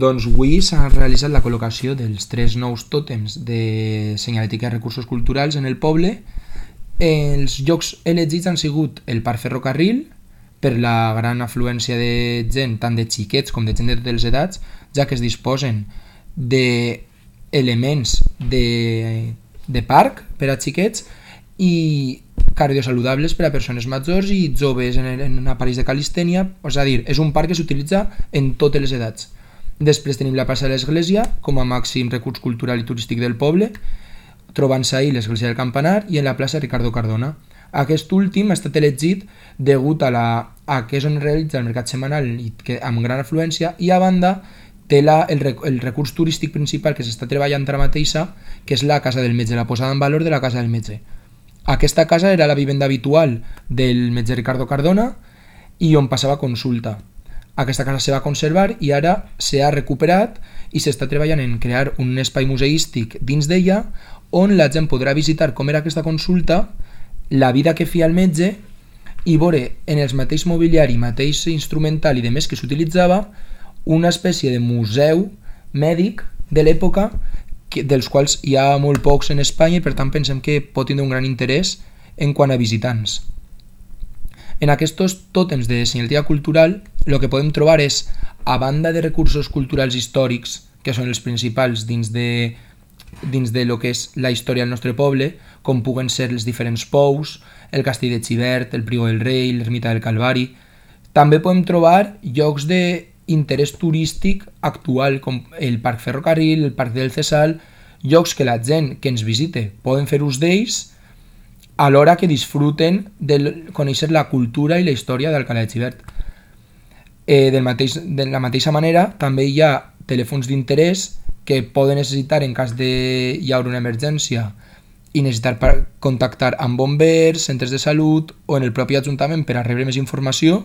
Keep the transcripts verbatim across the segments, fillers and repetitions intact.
Doncs avui s'ha realitzat la col·locació dels tres nous tòtems de senyalètica de recursos culturals en el poble. Els llocs elegits han sigut el Parc Ferrocarril, per la gran afluència de gent, tant de xiquets com de gent de totes les edats, ja que es disposen d'elements de, de parc per a xiquets i cardiosaludables per a persones majors i joves en, en aparells de calistènia, és a dir, és un parc que s'utilitza en totes les edats. Després tenim la plaça de l'Església com a màxim recurs cultural i turístic del poble, trobant-se ahí l'Església del Campanar i en la plaça Ricardo Cardona. Aquest últim ha estat elegit degut a, la, a que és on realitza el mercat setmanal i que, amb gran afluència, i a banda té la, el, el recurs turístic principal que s'està treballant ara mateixa, que és la Casa del Metge, la posada en valor de la Casa del Metge. Aquesta casa era la vivenda habitual del metge Ricardo Cardona i on passava consulta. Aquesta casa se va conservar i ara s'ha recuperat i s'està treballant en crear un espai museístic dins d'ella on la gent podrà visitar com era aquesta consulta, la vida que feia el metge i veure en el mateix mobiliari, mateix instrumental i de més que s'utilitzava una espècie de museu mèdic de l'època dels quals hi ha molt pocs en Espanya i per tant pensem que pot tindre un gran interès en quant a visitants. En aquests tòtems de senyalètica cultural el que podem trobar és, a banda de recursos culturals històrics, que són els principals dins de, dins de lo que és la història del nostre poble, com puguen ser els diferents pous, el castell de Xivert, el Prior del Rei, l'ermita del Calvari, també podem trobar llocs d'interès turístic actual, com el Parc Ferrocarril, el Parc del Cesal, llocs que la gent que ens visite poden fer ús d'ells, alhora que disfruten de conèixer la cultura i la història d'Alcalá de Xivert. Eh, del mateix, de la mateixa manera, també hi ha telèfons d'interès que poden necessitar en cas de hi haure una emergència i necessitar per contactar amb bombers, centres de salut o en el propi ajuntament per a rebre més informació.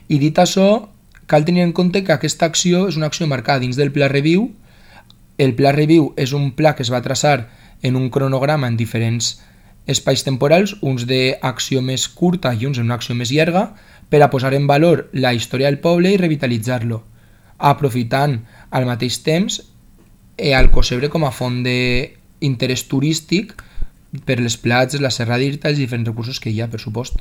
I dit això, cal tenir en compte que aquesta acció és una acció marcada dins del Pla Reviu. El Pla Reviu és un pla que es va traçar en un cronograma en diferents espais temporals, uns d'acció més curta i uns en una acció més llarga, per a posar en valor la història del poble i revitalitzar-lo, aprofitant al mateix temps el Cosebre com a font d'interès turístic per les platges, la Serra d'Irta i els diferents recursos que hi ha, per supost.